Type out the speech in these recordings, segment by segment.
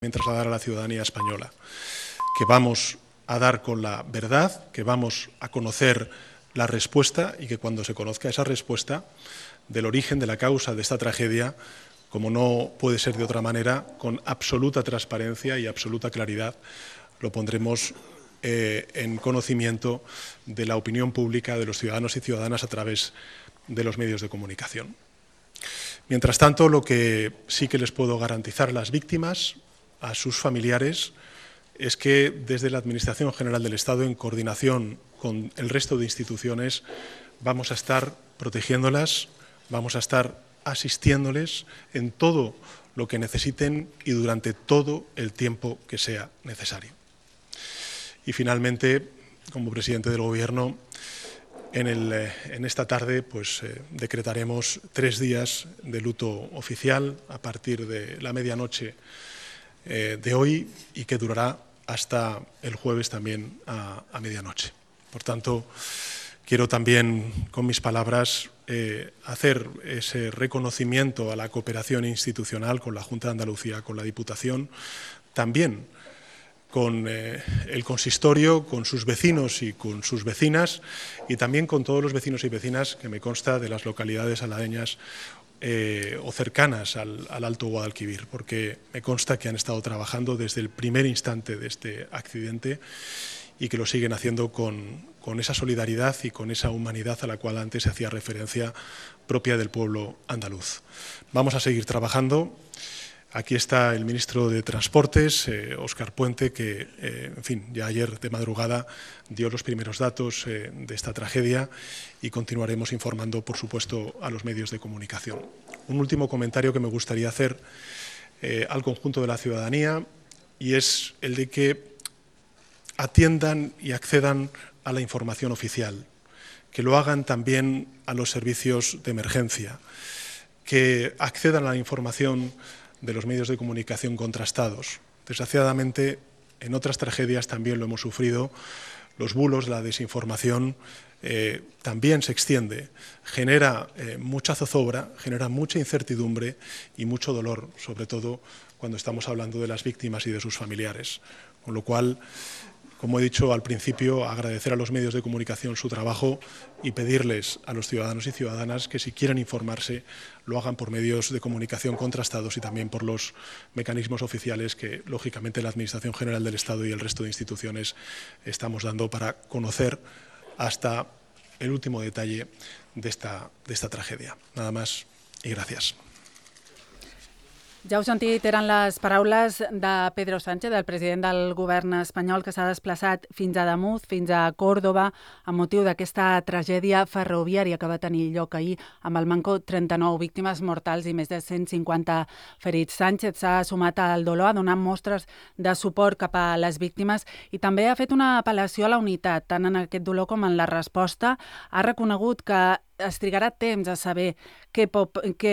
trasladar a la ciudadanía española, que vamos a dar con la verdad, que vamos a conocer la respuesta y que cuando se conozca esa respuesta del origen, de la causa de esta tragedia, como no puede ser de otra manera, con absoluta transparencia y absoluta claridad, lo pondremos en conocimiento de la opinión pública, de los ciudadanos y ciudadanas a través de los medios de comunicación. Mientras tanto, lo que sí que les puedo garantizar a las víctimas, a sus familiares, es que desde la Administración General del Estado, en coordinación con el resto de instituciones, vamos a estar protegiéndolas, vamos a estar asistiéndoles en todo lo que necesiten y durante todo el tiempo que sea necesario. Y finalmente, como presidente del Gobierno, en esta tarde decretaremos 3 días de luto oficial a partir de la medianoche de hoy y que durará hasta el jueves también a medianoche. Por tanto, quiero también con mis palabras hacer ese reconocimiento a la cooperación institucional con la Junta de Andalucía, con la Diputación, también con el consistorio, con sus vecinos y con sus vecinas y también con todos los vecinos y vecinas que me consta de las localidades aladeñas o cercanas al Alto Guadalquivir, porque me consta que han estado trabajando desde el primer instante de este accidente y que lo siguen haciendo con esa solidaridad y con esa humanidad a la cual antes se hacía referencia propia del pueblo andaluz. Vamos a seguir trabajando. Aquí está el ministro de Transportes, Óscar Puente, que ya ayer de madrugada dio los primeros datos de esta tragedia y continuaremos informando, por supuesto, a los medios de comunicación. Un último comentario que me gustaría hacer al conjunto de la ciudadanía y es el de que atiendan y accedan a la información oficial, que lo hagan también a los servicios de emergencia, que accedan a la información de los medios de comunicación contrastados. Desgraciadamente, en otras tragedias también lo hemos sufrido. Los bulos, la desinformación también se extiende, genera mucha zozobra, genera mucha incertidumbre y mucho dolor, sobre todo cuando estamos hablando de las víctimas y de sus familiares. Con lo cual, como he dicho al principio, agradecer a los medios de comunicación su trabajo y pedirles a los ciudadanos y ciudadanas que si quieren informarse lo hagan por medios de comunicación contrastados y también por los mecanismos oficiales que, lógicamente, la Administración General del Estado y el resto de instituciones estamos dando para conocer hasta el último detalle de esta tragedia. Nada más y gracias. Ja heu sentit, eren les paraules de Pedro Sánchez, del president del govern espanyol, que s'ha desplaçat fins a Ademuz, fins a Còrdova, amb motiu d'aquesta tragèdia ferroviària que va tenir lloc ahir amb el manco 39 víctimes mortals i més de 150 ferits. Sánchez s'ha sumat al dolor, ha donat mostres de suport cap a les víctimes i també ha fet una apel·lació a la unitat, tant en aquest dolor com en la resposta. Ha reconegut que es trigarà temps a saber què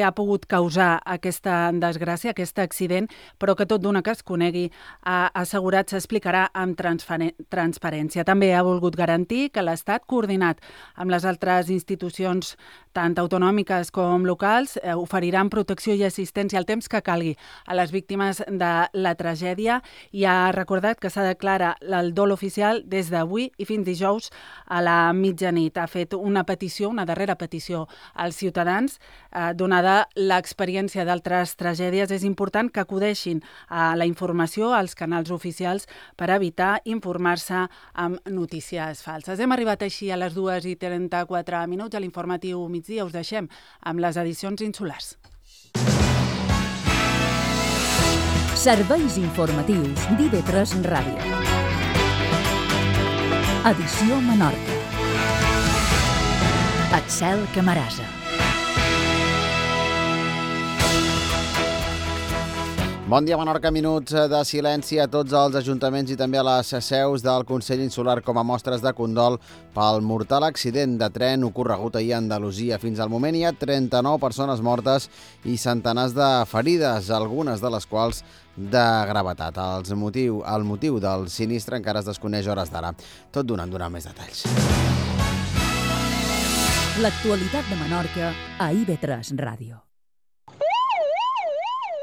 ha pogut causar aquesta desgràcia, aquest accident, però que tot d'una que es conegui, ha assegurat s'explicarà amb transparència. També ha volgut garantir que l'Estat, coordinat amb les altres institucions, tant autonòmiques com locals, oferiran protecció i assistència al temps que calgui a les víctimes de la tragèdia i ha recordat que s'ha declarat el dol oficial des d'avui i fins dijous a la mitjanit. Ha fet una petició, una darrera petició als ciutadans. Donada l'experiència d'altres tragèdies, és important que acudeixin a la informació, als canals oficials, per evitar informar-se amb notícies falses. Hem arribat així a les 2:34 a l'informatiu migdia. Us deixem amb les edicions insulars. Serveis informatius d'IV3 Ràdio. Edició Menorca. Axel Camarasa. Bon dia, Menorca. Minuts de silenci a tots els ajuntaments i també a les seus del Consell Insular com a mostres de condol pel mortal accident de tren ocorregut ahir a Andalusia. Fins al moment hi ha 39 persones mortes i centenars de ferides, algunes de les quals de gravetat. El motiu del sinistre encara es desconeix a hores d'ara. Tot donant més detalls. L'actualitat de Menorca a IV3 Ràdio.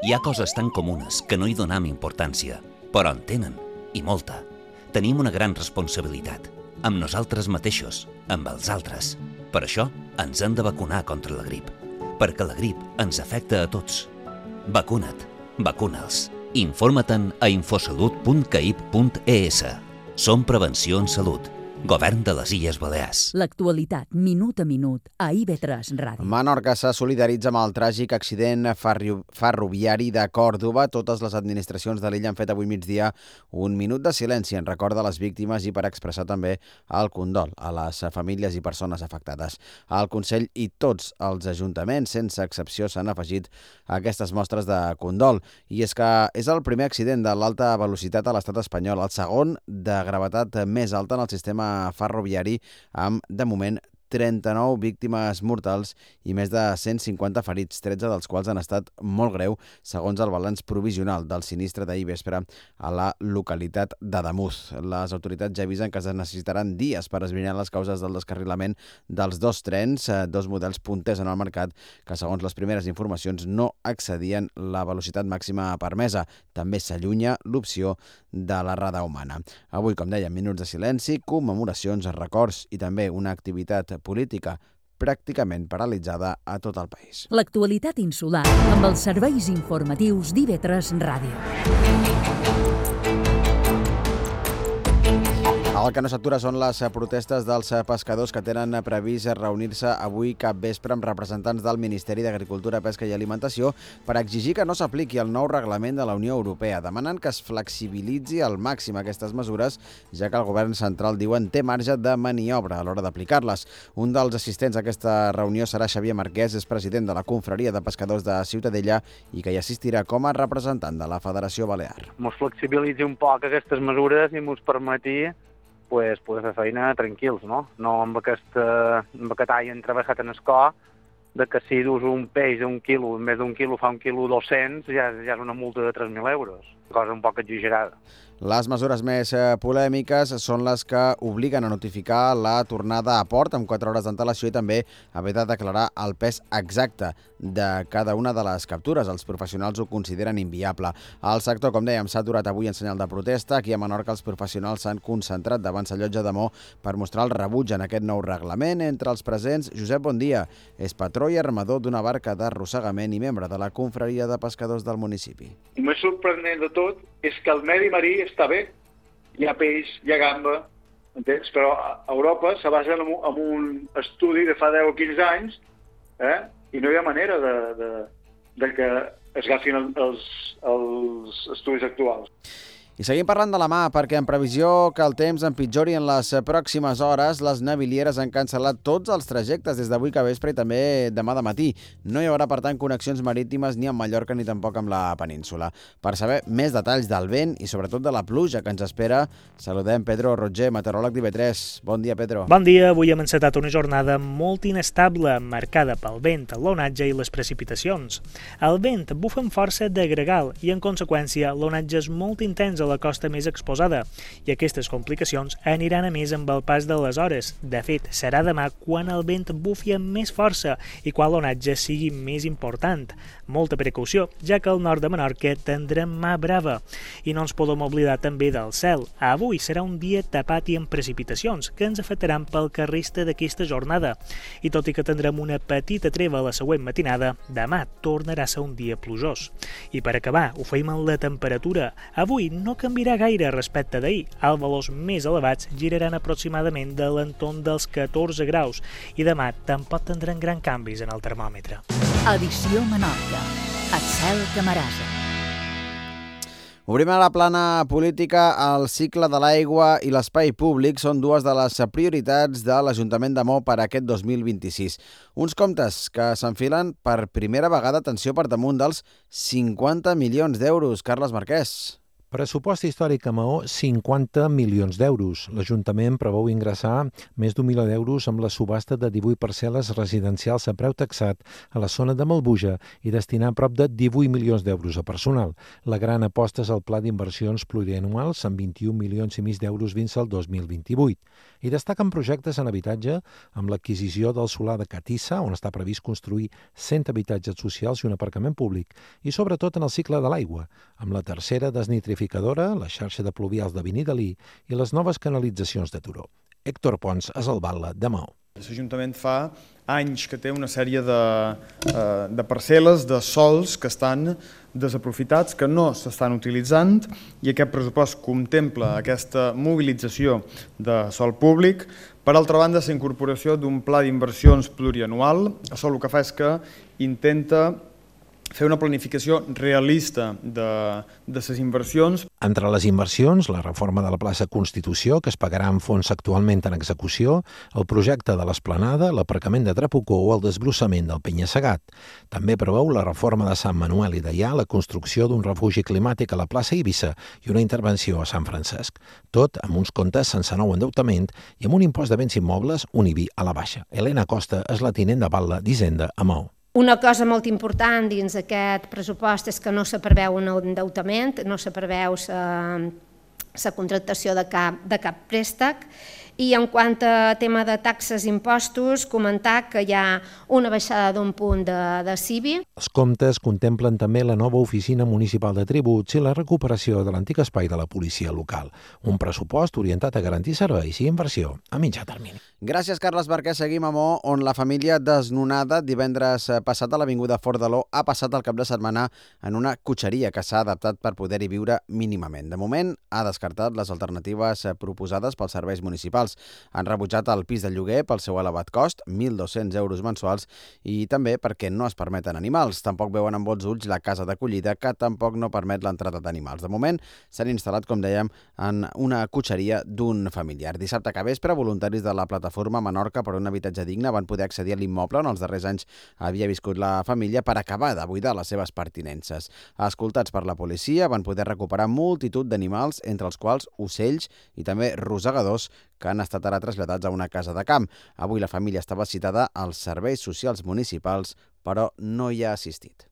Hi ha coses tan comunes que no hi donem importància, però en tenen, i molta. Tenim una gran responsabilitat, amb nosaltres mateixos, amb els altres. Per això ens hem de vacunar contra la grip, perquè la grip ens afecta a tots. Vacuna't, vacuna'ls. Informa-te'n a infosalut.caip.es. Som Prevenció en Salut. Govern de les Illes Balears. L'actualitat, minut a minut, a IB3 Ràdio. Menorca se solidaritza amb el tràgic accident ferroviari de Còrdova. Totes les administracions de l'illa han fet avui migdia un minut de silenci en record de les víctimes i per expressar també el condol a les famílies i persones afectades. El Consell i tots els ajuntaments, sense excepció, s'han afegit a aquestes mostres de condol. I és que és el primer accident de l'alta velocitat a l'estat espanyol, el segon de gravetat més alta en el sistema ferroviari, amb, de moment, 39 víctimes mortals i més de 150 ferits, 13 dels quals han estat molt greu, segons el balanç provisional del sinistre d'ahir vespre a la localitat d'Ademús. Les autoritats ja avisen que es necessitaran dies per esbrinar les causes del descarrilament dels dos trens, dos models punters en el mercat, que segons les primeres informacions no excedien la velocitat màxima permesa. També s'allunya l'opció de la rada humana. Avui, com dèiem, minuts de silenci, commemoracions, records i també una activitat política pràcticament paralitzada a tot el país. L'actualitat insular amb els serveis informatius d'IB3 Ràdio. El que no s'atura són les protestes dels pescadors que tenen previst reunir-se avui cap vespre amb representants del Ministeri d'Agricultura, Pesca i Alimentació per exigir que no s'apliqui el nou reglament de la Unió Europea. Demanen que es flexibilitzi al màxim aquestes mesures, ja que el govern central, diuen, té marge de maniobra a l'hora d'aplicar-les. Un dels assistents a aquesta reunió serà Xavier Marquès, és president de la Confraria de Pescadors de Ciutadella i que hi assistirà com a representant de la Federació Balear. Mos flexibilitzi un poc aquestes mesures i mos permeti poder fer feina tranquils, no? No amb aquest all entravessat en escó, de que si dus un peix d'un quilo, en vez d'un quilo fa un quilo 200, ja és una multa de 3.000 euros. Cosa un poc exagerada. Les mesures més polèmiques són les que obliguen a notificar la tornada a port amb 4 hores d'antelació i també haver de declarar el pes exacte de cada una de les captures. Els professionals ho consideren inviable. El sector, com dèiem, s'ha aturat avui en senyal de protesta. Aquí a Menorca els professionals s'han concentrat davant la llotja de Mo per mostrar el rebuig en aquest nou reglament. Entre els presents, Josep Bondia és patró i armador d'una barca d'arrossegament i membre de la Confraria de Pescadors del municipi. El més sorprenent de tot és que el medi marí està bé. Hi ha peix, hi ha gamba, entens? Però a Europa se basen en un estudi de fa 10 o 15 anys i no hi ha manera de que es agafin els estudis actuals. I seguim parlant de la mà, perquè en previsió que el temps empitjori en les pròximes hores, les navilieres han cancel·lat tots els trajectes des d'avui que vespre i també demà de matí. No hi haurà, per tant, connexions marítimes ni amb Mallorca ni tampoc amb la península. Per saber més detalls del vent i sobretot de la pluja que ens espera, saludem Pedro Roger, meteoròleg d'IB3. Bon dia, Pedro. Bon dia. Avui hem encetat una jornada molt inestable, marcada pel vent, l'onatge i les precipitacions. El vent bufa amb força de gregal i, en conseqüència, l'onatge és molt intens a la costa més exposada i aquestes complicacions aniran a més amb el pas de les hores. De fet, serà demà quan el vent bufi amb més força i quan l'onatge sigui més important. Molta precaució, ja que al nord de Menorca tindrem mà brava. I no ens podem oblidar també del cel. Avui serà un dia tapat i amb precipitacions que ens afectaran pel que resta d'aquesta jornada. I tot i que tindrem una petita treva a la següent matinada, demà tornarà a ser un dia plujós. I per acabar, ho feim en la temperatura. Avui no canviarà gaire respecte d'ahir. Els valors més elevats giraran aproximadament de l'entorn dels 14 graus i demà tampoc tindran gran canvis en el termòmetre. Edició Menorca. El cel que marasa. Obrim a la plana política. El cicle de l'aigua i l'espai públic són dues de les prioritats de l'Ajuntament de Mo per aquest 2026. Uns comptes que s'enfilen per primera vegada, atenció, per damunt dels 50 milions d'euros. Carles Marquès. Pressupost històric a Maó, 50 milions d'euros. L'Ajuntament preveu ingressar més d'1 milió d'euros amb la subhasta de 18 parcel·les residencials a preu taxat a la zona de Malbuja i destinar prop de 18 milions d'euros a personal. La gran aposta és el pla d'inversions plurianuals amb 21 milions i mig d'euros fins al 2028. I destaquen projectes en habitatge amb l'adquisició del solar de Catissa, on està previst construir 100 habitatges socials i un aparcament públic, i sobretot en el cicle de l'aigua, amb la tercera desnitrificadora, la xarxa de pluvials de Benidalí i les noves canalitzacions de Turó. Héctor Pons és el batlle de Maó. L'Ajuntament fa anys que té una sèrie de parcel·les, de sols que estan desaprofitats, que no s'estan utilitzant, i aquest pressupost contempla aquesta mobilització de sòl públic. Per altra banda, la incorporació d'un pla d'inversions plurianual. Això el que fa és que intenta fer una planificació realista de les inversions. Entre les inversions, la reforma de la plaça Constitució, que es pagarà amb fons actualment en execució, el projecte de l'Esplanada, l'aparcament de Trapucó o el desbrossament del Penya-Segat. També preveu la reforma de Sant Manuel i Deià, la construcció d'un refugi climàtic a la plaça Eivissa i una intervenció a Sant Francesc. Tot amb uns comptes sense nou endeutament i amb un impost de béns immobles, un IBI a la baixa. Helena Costa és la tinent de batlle d'Hisenda a Maó. Una cosa molt important dins aquest pressupost és que no se preveu un endeutament, no se preveu la contractació de cap préstec. I en quant a tema de taxes i impostos, comentar que hi ha una baixada d'un punt de CIBI. Els comptes contemplen també la nova oficina municipal de tributs i la recuperació de l'antic espai de la policia local. Un pressupost orientat a garantir serveis i inversió a mitjà termini. Gràcies, Carles Barquer. Seguim a Maó, on la família desnonada divendres passat a l'Avinguda Fort de l'O ha passat el cap de setmana en una cotxeria que s'ha adaptat per poder-hi viure mínimament. De moment, ha descartat les alternatives proposades pels serveis municipals. Han rebutjat el pis de lloguer pel seu elevat cost, 1.200 euros mensuals, i també perquè no es permeten animals. Tampoc veuen amb bons ulls la casa d'acollida, que tampoc no permet l'entrada d'animals. De moment, s'han instal·lat, com dèiem, en una cotxeria d'un familiar. Dissabte que vespre, voluntaris de la plataforma Menorca per un habitatge digne van poder accedir a l'immoble on els darrers anys havia viscut la família per acabar de buidar les seves pertinences. Escoltats per la policia, van poder recuperar multitud d'animals, entre els quals ocells i també rosegadors, que han estat ara traslladats a una casa de camp. Avui la família estava citada als serveis socials municipals, però no hi ha assistit.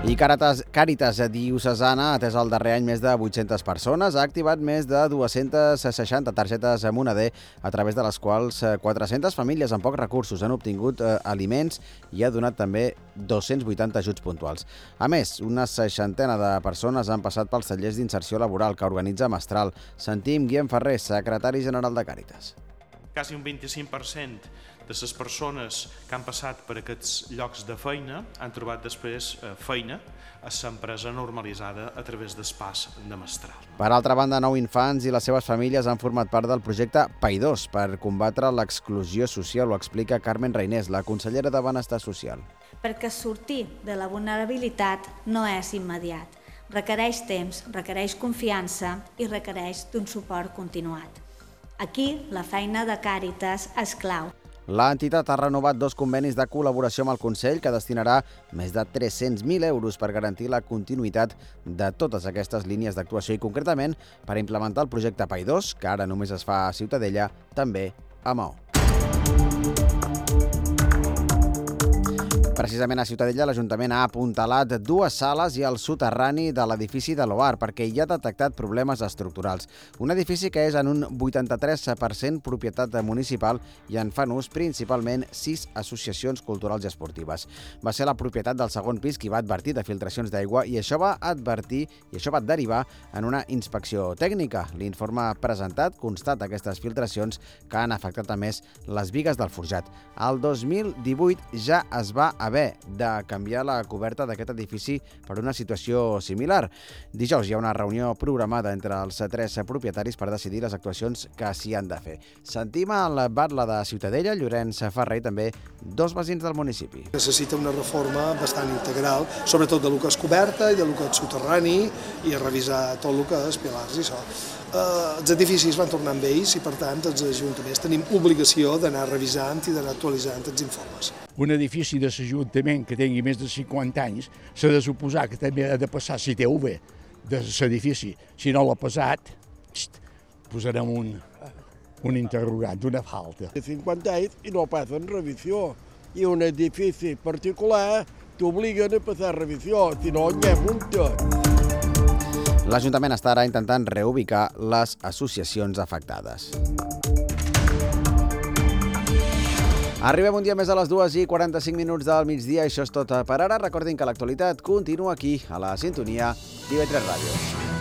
I Càritas Diocesana ha atès el darrer any més de 800 persones, ha activat més de 260 targetes Moneder, a través de les quals 400 famílies amb pocs recursos han obtingut aliments i ha donat també 280 ajuts puntuals. A més, una 60 de persones han passat pels tallers d'inserció laboral que organitza Mestral. Sentim Guillem Ferrer, secretari general de Càritas. Quasi un 25% de les persones que han passat per aquests llocs de feina han trobat després feina a l'empresa normalitzada a través del pas de Mestral. Per altra banda, 9 infants i les seves famílies han format part del projecte PAI2 per combatre l'exclusió social, ho explica Carmen Reinés, la consellera de Benestar Social. Perquè sortir de la vulnerabilitat no és immediat. Requereix temps, requereix confiança i requereix d'un suport continuat. Aquí, la feina de Càritas és clau. L'entitat ha renovat 2 convenis de col·laboració amb el Consell que destinarà més de 300.000 euros per garantir la continuïtat de totes aquestes línies d'actuació i concretament per implementar el projecte PAI2, que ara només es fa a Ciutadella, també a Maó. Precisament a Ciutadella, l'Ajuntament ha apuntalat 2 sales i el soterrani de l'edifici de l'OAR perquè hi ha detectat problemes estructurals. Un edifici que és en un 83% propietat municipal i en fan ús principalment 6 associacions culturals i esportives. Va ser la propietat del segon pis qui va advertir de filtracions d'aigua i això va derivar en una inspecció tècnica. L'informe presentat constata aquestes filtracions que han afectat a més les bigues del forjat. El 2018 ja es va haver de canviar la coberta d'aquest edifici per una situació similar. Dijous hi ha una reunió programada entre els 3 propietaris per decidir les actuacions que s'hi han de fer. Sentim el batlle de Ciutadella, Llorenç Ferrer, i també 2 veïns del municipi. Necessita una reforma bastant integral, sobretot de lo que és coberta i de lo que és soterrani, i revisar tot el que és pilars i això. Els edificis van tornant vells i, per tant, els ajuntaments tenim obligació d'anar revisant i d'anar actualitzant els informes. un edifici de l'Ajuntament que tingui més de 50 anys, s'ha de suposar que també ha de passar CTV de l'edifici. Si no l'ha passat, posarem un interrogant, una falta. De 50 anys i no passen revisió. I un edifici particular t'obliguen a passar revisió, si no hi ha multa. L'Ajuntament està ara intentant reubicar les associacions afectades. Arribem un dia més a les 2:45 del migdia. Això és tot per ara. Recordin que l'actualitat continua aquí, a la sintonia d'IV3 Ràdio.